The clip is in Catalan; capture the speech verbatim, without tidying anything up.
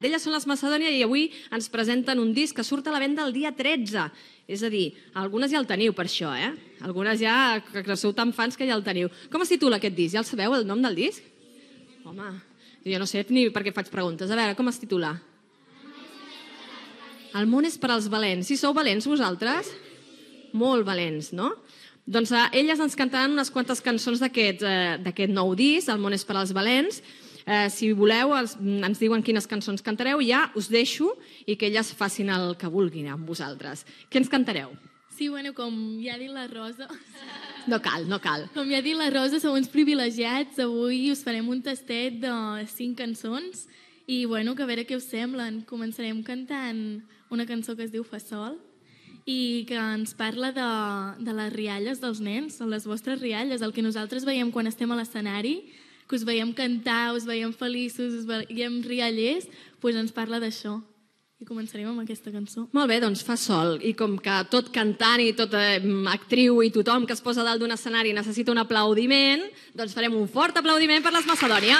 Elles són les Macedònia i avui ens presenten un disc que surt a la venda el dia tretze. És a dir, algunes ja el teniu per això, eh? Algunes ja, que sou tan fans que ja el teniu. Com es titula aquest disc? Ja el sabeu, el nom del disc? Home, jo no sé ni per què faig preguntes. A veure, com es titula? El món és per als valents. Si sou valents vosaltres? Molt valents, no? Doncs eh, elles ens cantaran unes quantes cançons d'aquest eh, nou disc, El món és per als valents. Eh, si voleu, els, ens diuen quines cançons cantareu i ja us deixo i que elles facin el que vulguin amb vosaltres. Què ens cantareu? Sí, bueno, com ja ha dit la Rosa... No cal, no cal. Com ja ha dit la Rosa, sou uns privilegiats. Avui us farem un tastet de cinc cançons i, bueno, que a veure què us semblen. Començarem cantant una cançó que es diu Fa Sol i que ens parla de, de les rialles dels nens, les vostres rialles, el que nosaltres veiem quan estem a l'escenari, que us veiem cantar, us veiem feliços, us veiem riallers, doncs ens parla d'això. I començarem amb aquesta cançó. Molt bé, doncs Fa Sol. I com que tot cantant i tota actriu i tothom que es posa dalt d'un escenari necessita un aplaudiment, doncs farem un fort aplaudiment per les Macedònia.